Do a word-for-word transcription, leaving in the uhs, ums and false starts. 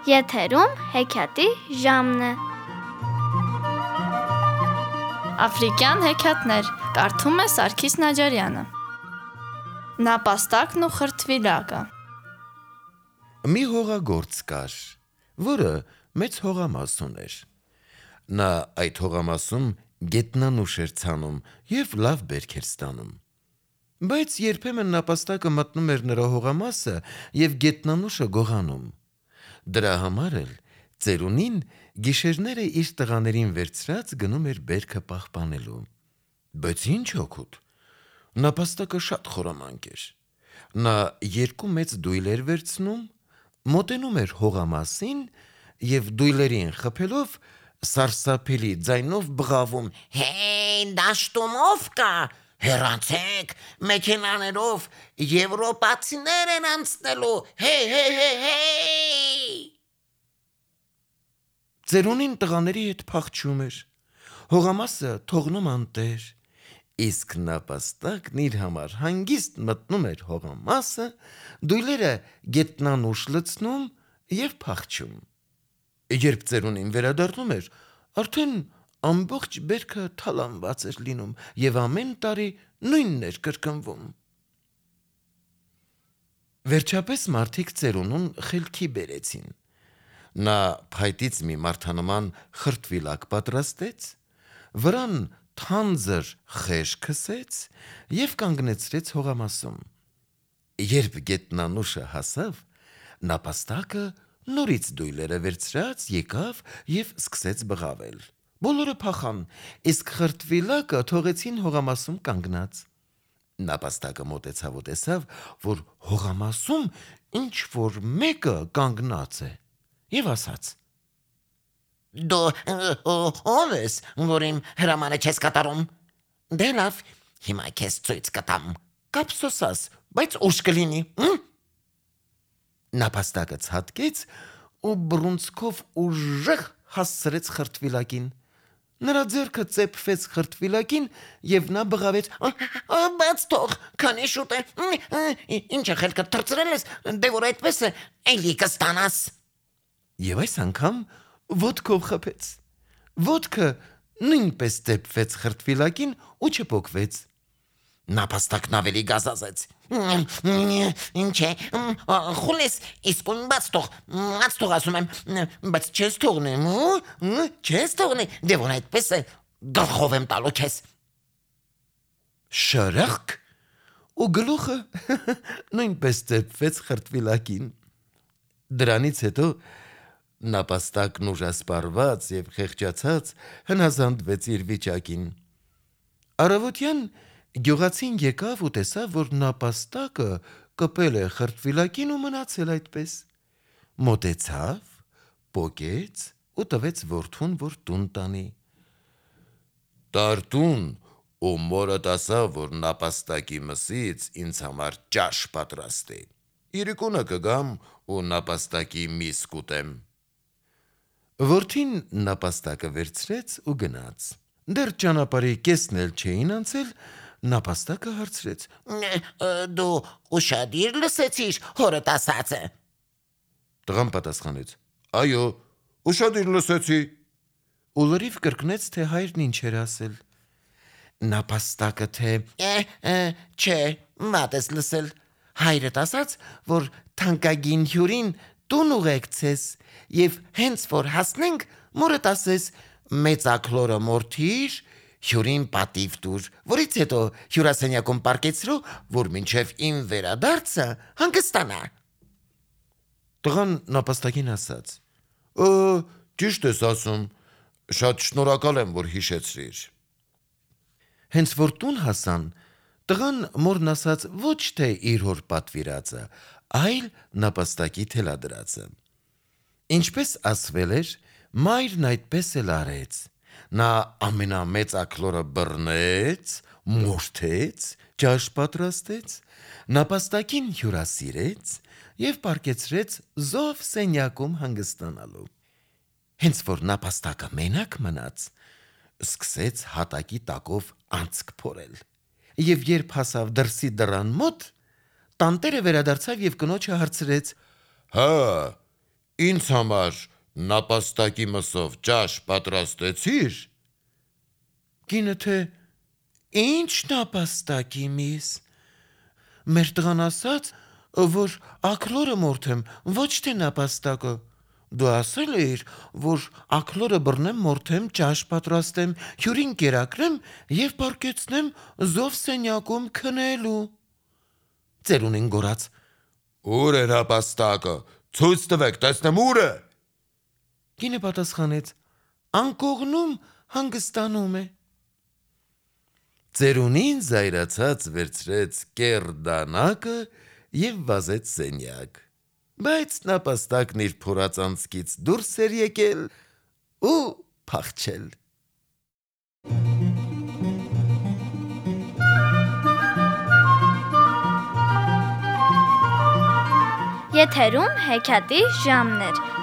Եթերում հեքիաթի ժամն է։ Աֆրիկյան հեքիաթներ կարդում է Սարգիս Նաջարյանը։ Նապաստակն ու խրտվիլակը։ Մի հողագործ կար, որը մեծ հողամաս ուներ։ Նա այդ հողամասում գետնանուշ էր ցանում և լավ բերք էր ստանում։ Բայց երբեմն նապաստակը մտնում էր նրա հողամասը և գետնանուշը գողանում։ Դրա համար էլ ծերունին գիշերները իր տղաներին վերցրած գնում էր բերքը պահպանելու։ Բայց ինչ օգուտ, նապաստակը շատ խորամանկ էր։ Նա երկու մեծ դույլ էր վերցնում, մոտենում էր հողամասին և դույլերին խփելով սարսափելի ձայնով բղավում. Հեյ, դաշտում ով կա, հեռացեք, մեքենաներով եվրոպացիներ են անցնելու, հեյ, հեյ, հեյ, հեյ։ Ծերունին տղաների հետ փախչում էր, հողամասը թողնում անտեր, իսկ նապաստակն իր համար հանգիստ մտնում էր հողամասը, դույլերը գետնանուշ լցնում և փախչում։ Երբ ծերունին վերադառնում էր, արդեն ամբողջ բերքը թալանված էր լինում և ամեն տարի նույնն էր կրկնվում։ Վերջապես մարդիկ ծերունուն խելքի բերեցին։ Նա փայտից մի մարդանման խրտվիլակ պատրաստեց, վրան թանձր խեժ քսեց և կանգնեցրեց հողամասում։ Երբ գետնանուշը հասավ, նապաստակը նորից դույլերը վերցրած եկավ և սկսեց բղավել։ Բոլորը փախան, իսկ խրտվիլակը թողեցին հողամասում կանգնած։ Նապաստակը մոտեցավ ու տեսավ, որ հողամասում ինչ-որ մեկը կանգնած է և ասաց. Դու ո՞վ ես, որ իմ հրամանը չես կատարում։ Դե լավ, հիմա քեզ ցույց կտամ, կափսոսաս, բայց ուշ կլինի։ Նապաստակը ցատկեց ու բռունցքով ուժեղ հասցրեց խրտվիլակին։ Նրա ձեռքը ծեփվեց խրտվիլակին և նա բղավեց. Բաց թող, քանի շուտ է։ Ինչ է խելքդ թռցրել ես, դե որ այդպես է, էլի կստանաս։ Եվ այս անգամ ոտքով խփեց։ Ոտքը նույնպես ծեփվեց խրտվիլակին ու չփոկվեց։ Նապաստակն ավելի գազազեց. Ինչ է, խուլ ես, իսկույն բաց թող, բաց թող ասում եմ, բայց չես թողնի, չես թողնի, դե որ այդպես է, գլխով եմ տալու քեզ։ Շրըխկ, ու գլուխը նույնպես ծեփվեց խրտվիլակին։ Դրանից հետո նապաստակն ուժասպառված և խեղճացած հնազանդվեց իր վիճակին։ Առավոտյան գյուղացին եկավ ու տեսավ, որ նապաստակը կպել է խրտվիլակին ու մնացել այդպես։ Մոտեցավ, պոկեց ու տվեց որդուն, որ տուն տանի։ Տար տուն ու մորդ ասա, որ նապաստակի մսից ինձ համար ճաշ պատրաստի։ Իրիկունը կգամ ու նապաստակի միս կուտեմ։ Որդին նապաստակը վերցրեց ու գնաց։ Դեռ ճանապարհի կեսն էլ չէին անցել, նապաստակը հարցրեց. Դու ուշադիր լսեցիր հորդ ասածը։ Տղան պատասխանեց. Այո, ուշադիր լսեցի։ Ու լրիվ կրկնեց, թե հայրն ինչ էր ասել։ Նապաստակը թե. Չէ, վատ ես լսել։ Հայրդ ասաց, որ թանկագին հյուրին տուն ուղեկցես և հենց որ հասնենք, մորդ ասես մեծաքլորը մորթիր, հյուրին պատիվ տուր, որից հետո հյուրասենյակում պառկեցրու, որ մինչև իմ վերադարձը հանգստանա։ Տղան նապաստակին ասաց. Ճիշտ ես ասում, շատ շնորհակալ եմ, որ հիշեցրիր։ Հենց որ տուն հասան, տղան մորն ասաց ոչ թե իր հոր պատվիրածը, այլ նապաստակի թելադրածը։ Ինչպես ասվել էր, մայրն այդպես էլ արեց։ Նա ամենամեծաքլորը բռնեց, մորթեց, ճաշ պատրաստեց, նապաստակին հյուրասիրեց և պառկեցրեց զով սենյակում հանգստանալու։ Հենց որ նապաստակը մենակ մնաց, սկսեց հատակի տակով անցք փորել։ Եվ երբ հասավ դրսի դռան մոտ, տանտերը վերադարձավ եւ կնոջը հարցրեց. «Հա, ինձ համար նապաստակի մսով ճաշ պատրաստեցի՞ր»։ Կինը թե «Ինչ նապաստակի միս։ Մեր տղան ասաց, որ աքլորը մորթեմ, ոչ թե նապաստակը։ Դու ասել էիր, որ աքլորը բռնեմ, մորթեմ, ճաշ պատրաստեմ, հյուրին կերակրեմ եւ պառկեցնեմ զով սենյակում քնելու»։ Ծերունին գոռաց. «Ուր է նապաստակը, ցույց տվեք, տեսնեմ ուր է»։ Կինը պատասխանեց. «Անկողնում հանգստանում է»։ Ծերունին զայրացած վերցրեց կեռ դանակը եւ վազեց սենյակ, բայց նապաստակն իր փորած անցքից դուրս էր եկել ու փախչել։ Եթերում հեքիաթի ժամն էր։